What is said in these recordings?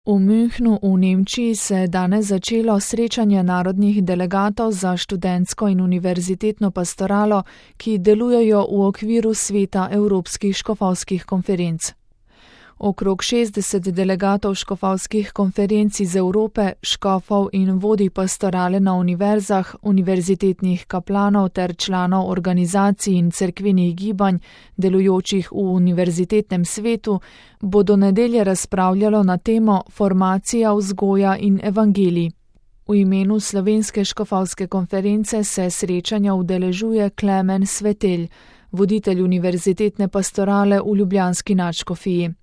V Münchnu v Nemčiji se je danes začelo srečanje narodnih delegatov za študentsko in univerzitetno pastoralo, ki delujejo v okviru sveta Evropskih škofovskih konferenc. Okrog 60 delegatov škofovskih konferenc iz Evrope, škofov in vodij pastorale na univerzah, univerzitetnih kaplanov ter članov organizacij in cerkvenih gibanj, delujočih v univerzitetnem svetu, bo do nedelje razpravljalo na temo Formacija, vzgoja in evangelij. V imenu Slovenske škofovske konference se srečanja udeležuje Klemen Svetelj, voditelj univerzitetne pastorale v ljubljanski nadškofiji.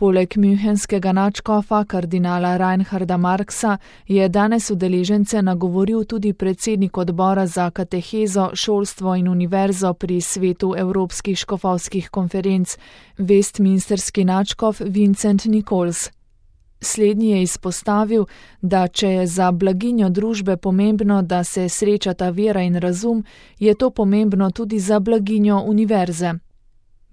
Poleg münchenskega nadškofa kardinala Reinharda Marxa je danes udeležence nagovoril tudi predsednik odbora za katehezo, šolstvo in univerzo pri svetu Evropskih škofovskih konferenc, westminsterski nadškof Vincent Nichols. Slednji je izpostavil, da če je za blaginjo družbe pomembno, da se srečata vera in razum, je to pomembno tudi za blaginjo univerze.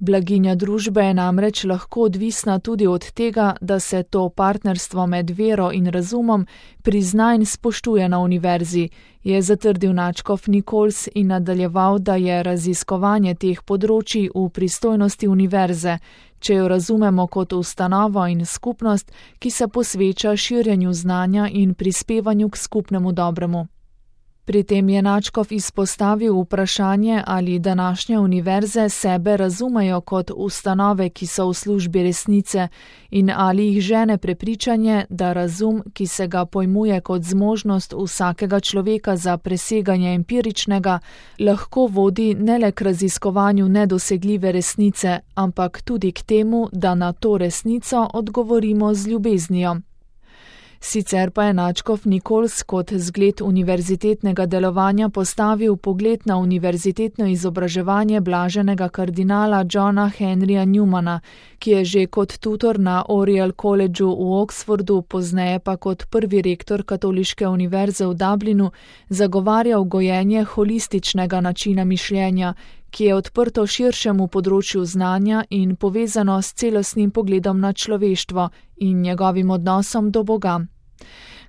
Blaginja družbe je namreč lahko odvisna tudi od tega, da se to partnerstvo med vero in razumom prizna in spoštuje na univerzi, je zatrdil nadškof Nichols in nadaljeval, da je raziskovanje teh področij v pristojnosti univerze, če jo razumemo kot ustanovo in skupnost, ki se posveča širjenju znanja in prispevanju k skupnemu dobremu. Pri tem je nadškof izpostavil vprašanje, ali današnje univerze sebe razumejo kot ustanove, ki so v službi resnice, in ali jih žene prepričanje, da razum, ki se ga pojmuje kot zmožnost vsakega človeka za preseganje empiričnega, lahko vodi ne le k raziskovanju nedosegljive resnice, ampak tudi k temu, da na to resnico odgovorimo z ljubeznijo. Sicer pa je nadškof Nichols kot zgled univerzitetnega delovanja postavil pogled na univerzitetno izobraževanje blaženega kardinala Johna Henryja Newmana, ki je že kot tutor na Oriel Collegeu v Oxfordu, pozneje pa kot prvi rektor Katoliške univerze v Dublinu, zagovarjal gojenje holističnega načina mišljenja, ki je odprto širšemu področju znanja in povezano s celostnim pogledom na človeštvo in njegovim odnosom do Boga.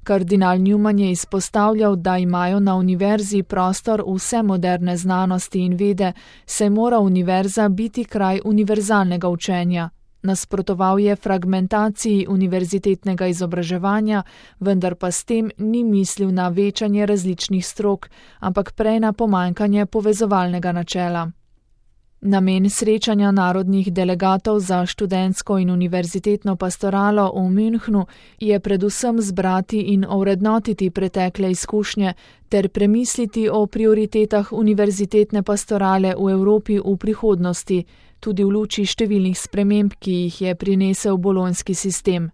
Kardinal Newman je izpostavljal, da imajo na univerzi prostor vse moderne znanosti in vede, saj mora univerza biti kraj univerzalnega učenja. Nasprotoval je fragmentaciji univerzitetnega izobraževanja, vendar pa s tem ni mislil na večanje različnih strok, ampak prej na pomanjkanje povezovalnega načela. Namen srečanja narodnih delegatov za študentsko in univerzitetno pastoralo v Münchnu je predvsem zbrati in ovrednotiti pretekle izkušnje ter premisliti o prioritetah univerzitetne pastorale v Evropi v prihodnosti, tudi v luči številnih sprememb, ki jih je prinesel bolonjski sistem.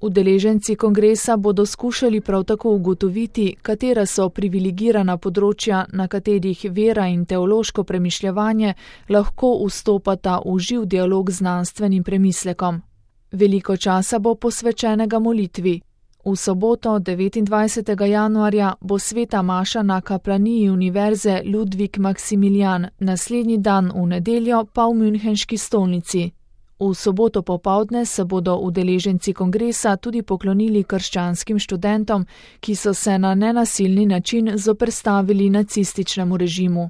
Udeleženci kongresa bodo skušali prav tako ugotoviti, katera so privilegirana področja, na katerih vera in teološko premišljevanje lahko vstopata v živ dialog z znanstvenim premislekom. Veliko časa bo posvečenega molitvi. V soboto, 29. januarja, bo sveta maša na kaplaniji univerze Ludwig Maximilian, naslednji dan v nedeljo pa v Münchenški stolnici. V soboto popoldne se bodo udeleženci kongresa tudi poklonili krščanskim študentom, ki so se na nenasilni način zoperstavili nacističnemu režimu.